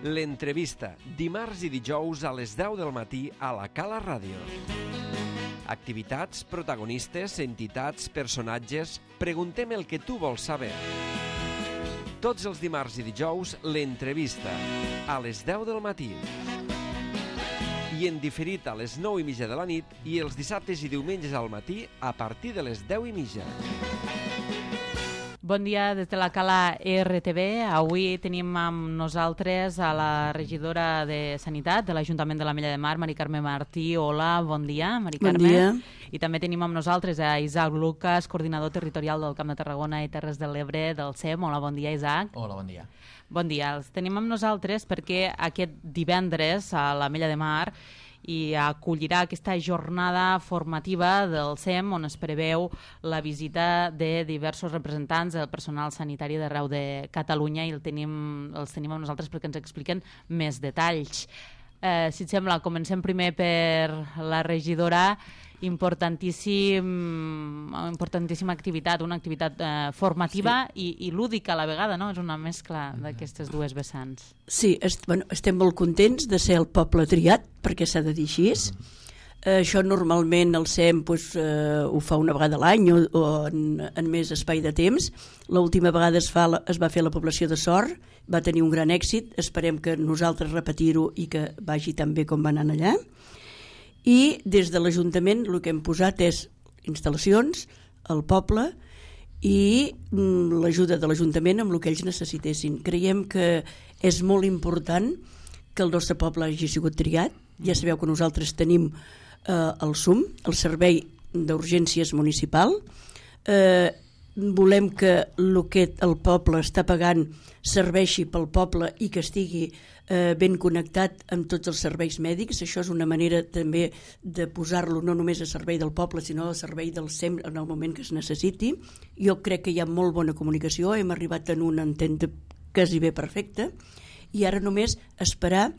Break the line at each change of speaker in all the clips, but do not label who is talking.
L'entrevista, dimarts i dijous a les 10 del matí a la Cala Ràdio. Activitats, protagonistes, entitats, personatges... Preguntem el que tu vols saber. Tots els dimarts i dijous, l'entrevista, a les 10 del matí. I en diferit a les 9:30 de la nit i els dissabtes i diumenges al matí a partir de les 10:30.
Bon dia des de la Cala RTV. Avui tenim amb nosaltres a la regidora de Sanitat de l'Ajuntament de l'Ametlla de Mar, Mari Carme Martí. Hola, bon dia, Mari Carme.
Bon dia.
I també tenim amb nosaltres a Isaac Lucas, coordinador territorial del Camp de Tarragona i Terres de l'Ebre del SEM. Hola, bon dia, Isaac.
Hola, bon dia.
Bon dia. Els tenim amb nosaltres perquè aquest divendres a l'Ametlla de Mar i acollirà aquesta jornada formativa del SEM on es preveu la visita de diversos representants del personal sanitari d'arreu de Catalunya i els tenim amb nosaltres perquè ens expliquen més detalls. Si et sembla, comencem primer per la regidora. Importantíssima activitat, una activitat formativa i lúdica a la vegada, no? És una mescla d'aquestes dues vessants.
Sí, estem molt contents de ser el poble triat, perquè s'ha de dir així. Això normalment el SEM ho fa una vegada a l'any o en més espai de temps. L'última vegada es va fer a la població de Sort, va tenir un gran èxit, esperem que nosaltres repetir-ho i que vagi tan bé com va anar allà. I des de l'Ajuntament el que hem posat és instal·lacions al poble i l'ajuda de l'Ajuntament amb el que ells necessitessin. Creiem que és molt important que el nostre poble hagi sigut triat. Ja sabeu que nosaltres tenim el SUM, el Servei d'Urgències Municipal. Volem que el que el poble està pagant serveixi pel poble i que estigui ben connectat amb tots els serveis mèdics. Això és una manera també de posar-lo no només a servei del poble sinó a servei del SEM en el moment que es necessiti. Jo crec que hi ha molt bona comunicació, hem arribat en una entente quasi bé perfecta i ara només esperar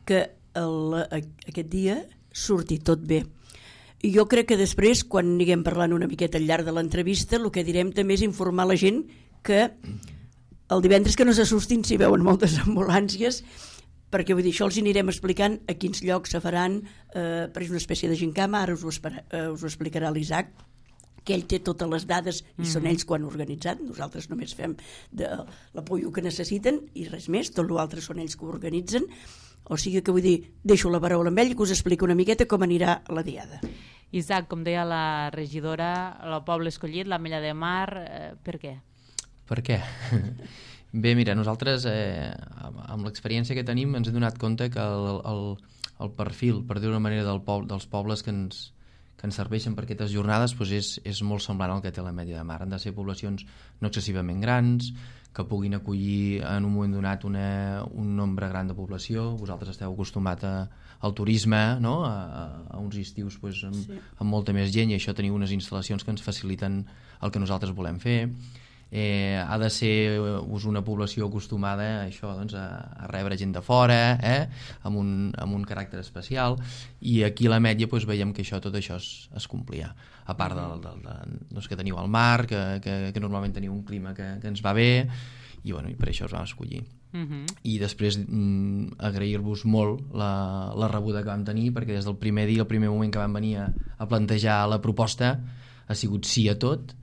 que aquest dia surti tot bé. I jo crec que després, quan anirem parlant una miqueta al llarg de l'entrevista, el que direm també és informar la gent que el divendres que no s'assustin si veuen moltes ambulàncies, perquè vull dir, això els anirem explicant a quins llocs se faran, per una espècie de gincama, ara us ho explicarà l'Isaac, que ell té totes les dades i són ells quan han organitzat, nosaltres només fem l'apoyo que necessiten i res més, tot l'altre són ells que ho organitzen, o sigui que vull dir, deixo la paraula amb ell que us expliqui una miqueta com anirà la diada.
Isaac, com deia la regidora, el poble escollit, l'Ametlla de Mar, per què?
Per què? Bé, mira, nosaltres amb l'experiència que tenim ens hem donat compte que el perfil, per dir-ho d'una manera, dels pobles que ens serveixen per aquestes jornades és molt semblant al que té l'Ametlla de Mar. Han de ser poblacions no excessivament grans, que puguin acollir en un moment donat un nombre gran de població. Vosaltres esteu acostumat al turisme, no? A uns estius amb molta més gent, i això teniu unes instal·lacions que ens faciliten el que nosaltres volem fer. Ha de ser una població acostumada a això, doncs, a rebre gent de fora, amb un caràcter especial, i aquí a l'Ametlla veiem que tot això es complia, a part que teniu el mar, que normalment teniu un clima que ens va bé, i per això us vam escollir. I després agrair-vos molt la rebuda que vam tenir, perquè des del primer dia, el primer moment que vam venir a plantejar la proposta, ha sigut sí a tot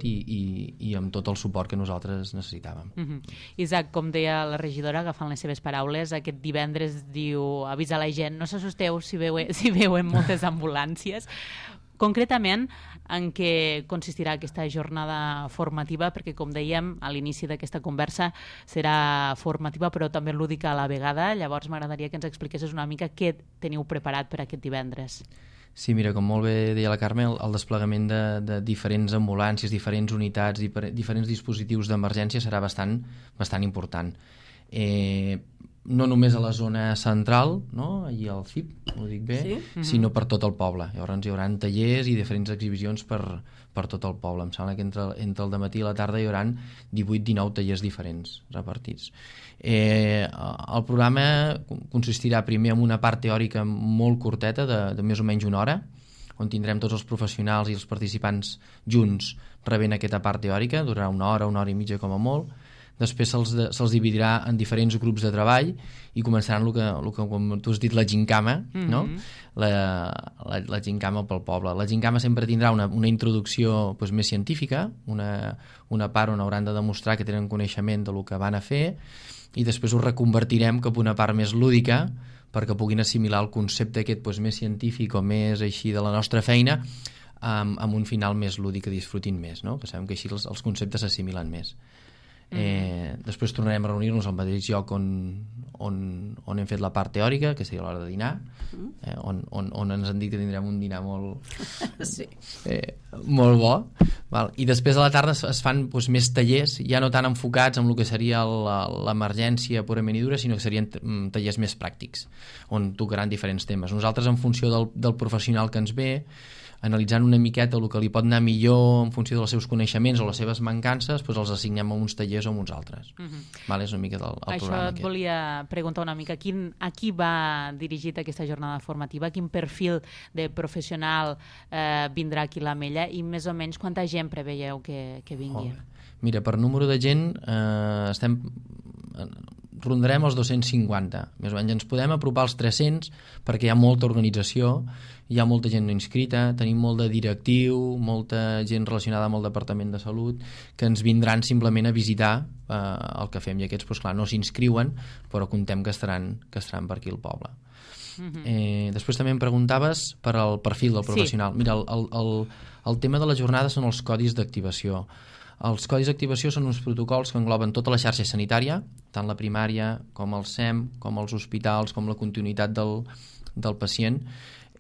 i amb tot el suport que nosaltres necessitàvem.
Isaac, com deia la regidora, agafant les seves paraules, aquest divendres diu avisa la gent, no s'assusteu si veuen moltes ambulàncies. Concretament, en què consistirà aquesta jornada formativa? Perquè, com dèiem, a l'inici d'aquesta conversa serà formativa però també lúdica a la vegada. Llavors m'agradaria que ens expliquessis una mica què teniu preparat per aquest divendres.
Sí, mira, com molt bé deia la Carme, el desplegament de diferents ambulàncies, diferents unitats, diferents dispositius d'emergència serà bastant important. No només a la zona central, no? Allí al CIP, ho dic bé, sí? Sinó per tot el poble. Llavors hi haurà tallers i diferents exhibicions per tot el poble. Em sembla que entre el dematí i la tarda hi haurà 18-19 tallers diferents repartits. El programa consistirà primer en una part teòrica molt curteta de més o menys una hora, on tindrem tots els professionals i els participants junts rebent aquesta part teòrica, durarà una hora i mitja com a molt. després se'ls dividirà en diferents grups de treball i començaran el que com tu has dit, la gincama, no? La gincama pel poble. La gincama sempre tindrà una introducció doncs, més científica, una part on hauran de demostrar que tenen coneixement del que van a fer, i després ho reconvertirem cap a una part més lúdica perquè puguin assimilar el concepte aquest doncs, més científic o més així de la nostra feina amb un final més lúdic que disfrutin més, no? Que sabem que així els conceptes s'assimilen més. Després tornarem a reunir-nos al mateix lloc on hem fet la part teòrica, que seria l'hora de dinar, on ens han dit que tindrem un dinar molt molt bo, val? I després a la tarda es fan doncs, més tallers, ja no tan enfocats en el que seria l'emergència purament i dura, sinó que serien tallers més pràctics, on tocaran diferents temes. Nosaltres, en funció del professional que ens ve, analitzant una miqueta el que li pot anar millor en funció dels seus coneixements o les seves mancances, doncs els assignem a uns tallers o a uns altres. Vale, és una mica el programa
Això et
aquest.
volia preguntar una mica. A qui va dirigit aquesta jornada formativa? Quin perfil de professional vindrà aquí a l'Ametlla i més o menys quanta gent preveieu que vingui?
Mira, per número de gent rondarem els 250, més o menys. Ens podem apropar als 300 perquè hi ha molta organització, hi ha molta gent no inscrita, tenim molt de directiu, molta gent relacionada amb el Departament de Salut, que ens vindran simplement a visitar el que fem, i aquests, doncs, clar, no s'inscriuen, però contem que estaran per aquí al poble. Després també em preguntaves per al perfil del professional. Sí. Mira, el tema de la jornada són els codis d'activació. Els codis d'activació són uns protocols que engloben tota la xarxa sanitària, tant la primària com el SEM, com els hospitals, com la continuïtat del pacient,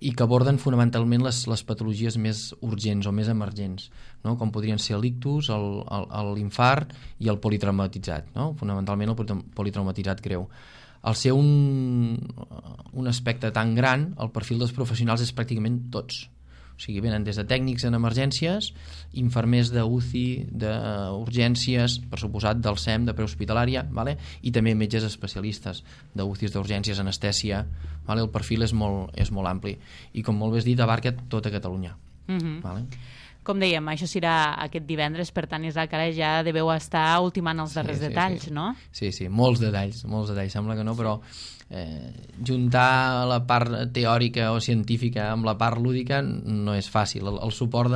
i que aborden fonamentalment les patologies més urgents o més emergents, no? Com podrien ser l'ictus, l'infart i el politraumatitzat, no? Fonamentalment el politraumatitzat greu. Al ser un aspecte tan gran, el perfil dels professionals és pràcticament tots. O sigui, venen des de tècnics en emergències, infermers d'UCI, d'urgències, per suposat del SEM, de prehospitalària, vale? I també metges especialistes d'UCIs, d'urgències, anestèsia. Vale? El perfil és molt ampli. I com molt bé has dit, abarca tota Catalunya. Vale?
Com dèiem, això serà aquest divendres, per tant, Isaac, ara ja deveu estar ultimant els darrers detalls, no? Sí, molts detalls, sembla que no, però juntar la part teòrica o científica amb la part lúdica no és fàcil. El suport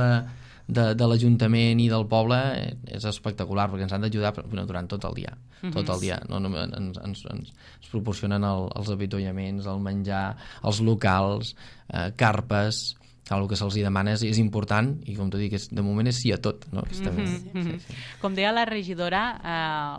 de l'Ajuntament i del poble és espectacular, perquè ens han d'ajudar durant tot el dia. Tot el dia. No, ens proporcionen els avituallaments, el menjar, els locals, carpes. El que se'ls demana és important, i com t'ho dic, de moment és sí a tot, no? Com deia la regidora,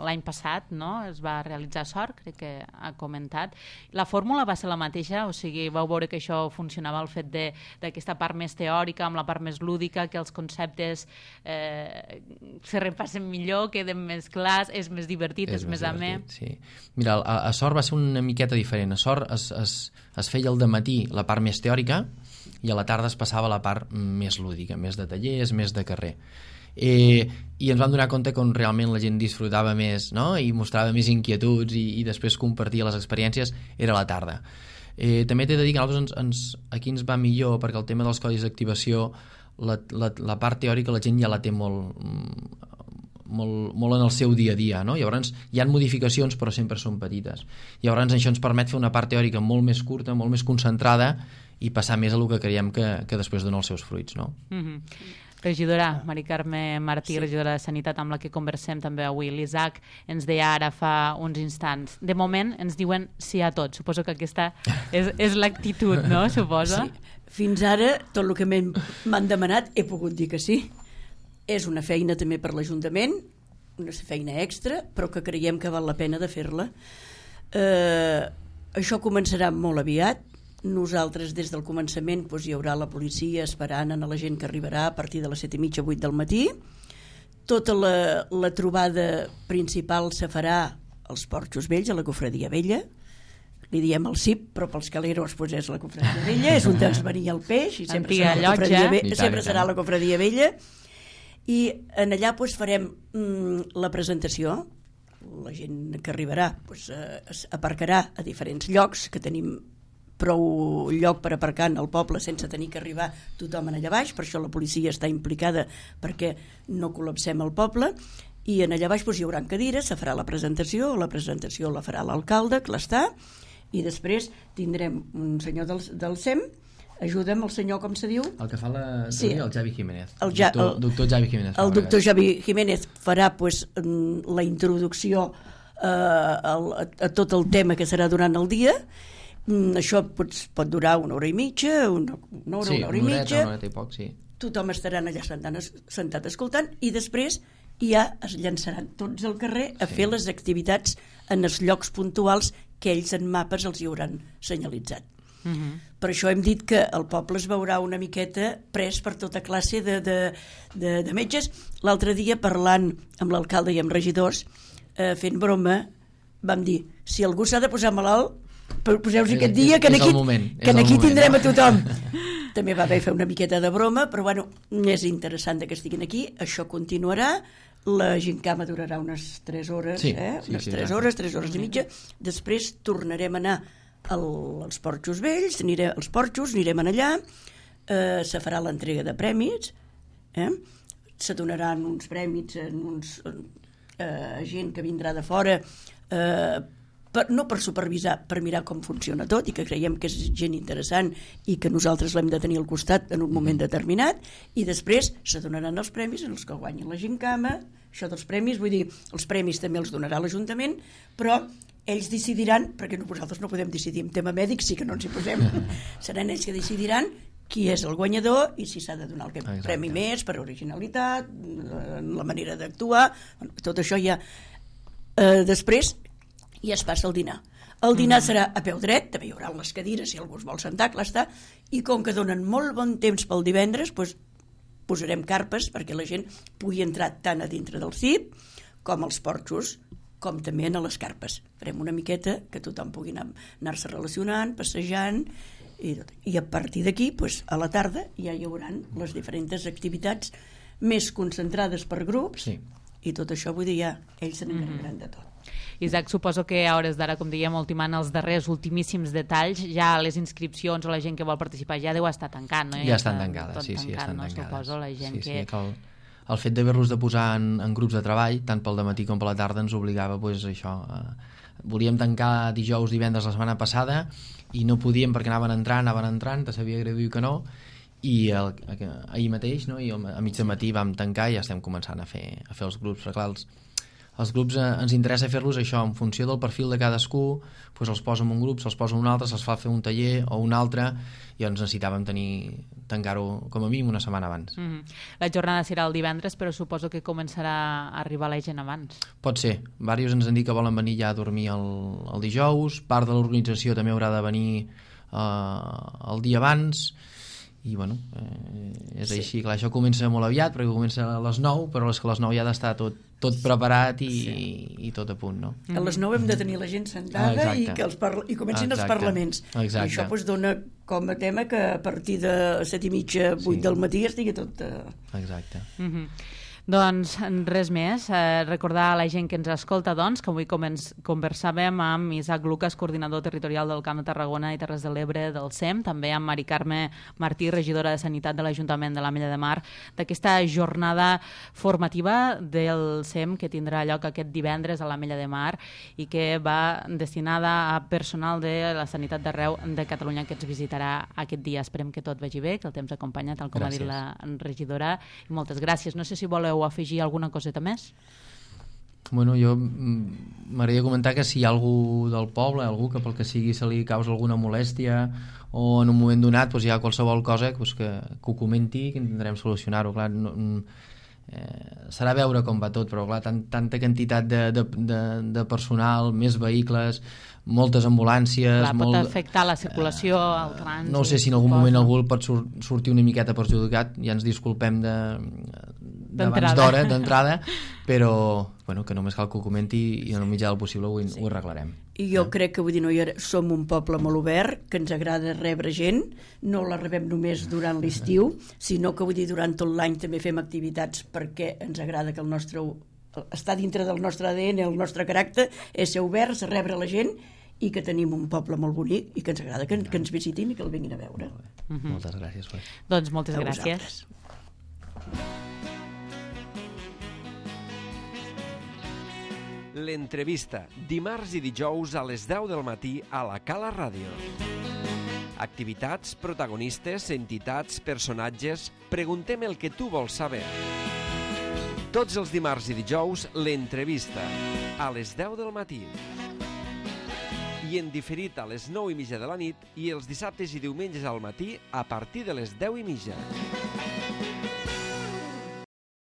l'any passat, no? Es va realitzar SOR, crec que ha comentat. La fórmula va ser la mateixa? O sigui, vau veure que això funcionava, el fet d'aquesta part més teòrica amb la part més lúdica, que els conceptes se repassen millor, queden més clars, és més divertit, és més amè?
Sí. Mira, a SOR va ser una miqueta diferent. A SOR es feia al dematí la part més teòrica, i a la tarda es passava la part més lúdica, més de tallers, més de carrer. I ens vam donar compte que on realment la gent disfrutava més, no? I mostrava més inquietuds i després compartia les experiències era a la tarda. També t'he de dir que a nosaltres aquí ens va millor, perquè el tema dels codis d'activació, la part teòrica la gent ja la té molt en el seu dia a dia, no? Llavors hi ha modificacions però sempre són petites. Llavors això ens permet fer una part teòrica molt més curta, molt més concentrada, i passar més a el que creiem que després dona els seus fruits, no?
Regidora Mari Carme Martí, regidora de Sanitat, amb la que conversem també avui. L'Isaac ens deia ara fa uns instants. De moment ens diuen sí a tot. Suposo que aquesta és l'actitud, no? Suposa?
Sí. Fins ara, tot el que m'han demanat, he pogut dir que sí. És una feina també per l'Ajuntament, una feina extra, però que creiem que val la pena de fer-la. Això començarà molt aviat. Nosaltres des del començament hi haurà la policia esperant a la gent que arribarà a partir de les 7:30, 8 del matí. Tota la trobada principal se farà als Porxos Vells, a la Cofradia Vella. Li diem el CIP, però pels caleros és la Cofradia Vella, és on ens venia el peix i sempre serà la Cofradia Vella. I en allà farem la presentació. La gent que arribarà aparcarà a diferents llocs, que tenim prou lloc per aparcar en el poble sense tenir que arribar tothom allà baix, per això la policia està implicada perquè no col·lapsem el poble, i en allà baix hi haurà cadires, se farà la presentació la farà l'alcalde, que l'està, i després tindrem un senyor del SEM. Ajuda'm, el senyor, com se diu?
El que fa la reunió, el Javi Jiménez.
El
doctor Javi Jiménez.
El doctor Javi Jiménez farà la introducció a tot el tema que serà durant el dia. Això pot durar una hora i mitja, una hora i mitja.
Una horeta i poc, sí.
Tothom estarà allà sentat escoltant i després ja es llançaran tots al carrer a fer les activitats en els llocs puntuals que ells en mapes els hi hauran senyalitzat. Per això hem dit que el poble es veurà una miqueta pres per tota classe de metges. L'altre dia, parlant amb l'alcalde i amb regidors, fent broma, vam dir, si algú s'ha de posar malalt, poseu-s'hi aquest dia, que aquí tindrem a tothom. També va haver fer una miqueta de broma, però bueno, és interessant que estiguin aquí. Això continuarà. La gincama durarà unes 3 hores, unes 3 hores i mitja. Després tornarem a anar als porxos vells, anirem allà, se farà l'entrega de prèmits, se donaran uns prèmits a gent que vindrà de fora, no per supervisar, per mirar com funciona tot, i que creiem que és gent interessant i que nosaltres l'hem de tenir al costat en un moment determinat, i després se donaran els premis en els que guanyin la gincama. Això dels premis, vull dir, els premis també els donarà l'Ajuntament, però ells decidiran, perquè nosaltres no podem decidir en tema mèdic, sí que no ens hi posem, seran ells que decidiran qui és el guanyador i si s'ha de donar el premi més per originalitat, la manera d'actuar, tot això ja. Després ja es passa el dinar. El dinar serà a peu dret, també hi haurà les cadires si algú es vol sentar, clar està, i com que donen molt bon temps pel divendres, posarem carpes perquè la gent pugui entrar tant a dintre del CIP com als porxos, com també a les carpes. Farem una miqueta que tothom pugui anar-se relacionant, passejant, i a partir d'aquí, a la tarda, ja hi haurà les diferents activitats més concentrades per grups, i tot això, vull dir, ja ells se n'encarregaran de tot.
Isaac, suposo que a hores d'ara, com dèiem, ultimant els darrers ultimíssims detalls, ja les inscripcions o la gent que vol participar ja deu estar tancant, no?
Ja estan tancades, sí, estan tancades.
Suposo la gent que...
El fet d'haver-los de posar en grups de treball, tant pel dematí com per la tarda, ens obligava això. Volíem tancar dijous, divendres la setmana passada i no podíem perquè anaven entrant, te sabia greu dir que no, i ahir mateix, no? I a mig de matí vam tancar i ja estem començant a fer els grups. Però clar, els grups ens interessa fer-los això en funció del perfil de cadascú, els posa en un grup, se'ls posa en un altre, se'ls fa fer un taller o un altre, i doncs necessitàvem tancar-ho com a mínim una setmana abans.
La jornada serà el divendres, però suposo que començarà a arribar la gent abans.
Pot ser. Diversos ens han dit que volen venir ja a dormir el dijous, part de l'organització també haurà de venir el dia abans, i bueno, és així. Clar, això comença molt aviat perquè comença a les 9, però és que a les 9 ja ha d'estar tot preparat i tot a punt, no?
A les 9 hem de tenir la gent sentada i comencin els parlaments. I això dona com a tema que a partir de 7:30, 8 del matí estigui tot...
Exacte.
Doncs res més, recordar a la gent que ens escolta que avui conversàvem amb Isaac Lucas, coordinador territorial del Camp de Tarragona i Terres de l'Ebre del SEM, també amb Mari Carme Martí, regidora de Sanitat de l'Ajuntament de l'Ametlla de Mar, d'aquesta jornada formativa del SEM que tindrà lloc aquest divendres a l'Ametlla de Mar i que va destinada a personal de la sanitat d'arreu de Catalunya que ens visitarà aquest dia. Esperem que tot vagi bé, que el temps acompanya, tal com ha dit la regidora, i moltes gràcies. No sé si voleu afegir alguna coseta més?
Bueno, jo m'agradaria comentar que si hi ha algú del poble, algú que pel que sigui se li causa alguna molèstia o en un moment donat hi ha qualsevol cosa que ho comenti, que intentarem solucionar-ho. Clar, serà veure com va tot, però clar, tanta quantitat de personal, més vehicles, moltes ambulàncies...
Clar, pot afectar la circulació, el trànsit...
No sé si en algun moment algú pot sortir una miqueta perjudicat, ja ens disculpem d'abans d'hora, d'entrada, però bueno, que només cal que ho comenti i en el mitjà del possible ho arreglarem.
I jo crec que som un poble molt obert, que ens agrada rebre gent, no la rebem només durant l'estiu, sinó que durant tot l'any també fem activitats perquè ens agrada que està dintre del nostre ADN, el nostre caràcter, és ser oberts, rebre la gent i que tenim un poble molt bonic i que ens agrada que ens visitin i que el vinguin a veure.
Moltes gràcies.
Doncs moltes gràcies.
L'entrevista, dimarts i dijous a les 10 del matí a la Cala Ràdio. Activitats, protagonistes, entitats, personatges... Preguntem el que tu vols saber. Tots els dimarts i dijous, l'entrevista, a les 10 del matí. I en diferit a les 9:30 de la nit i els dissabtes i diumenges al matí a partir de les 10:30.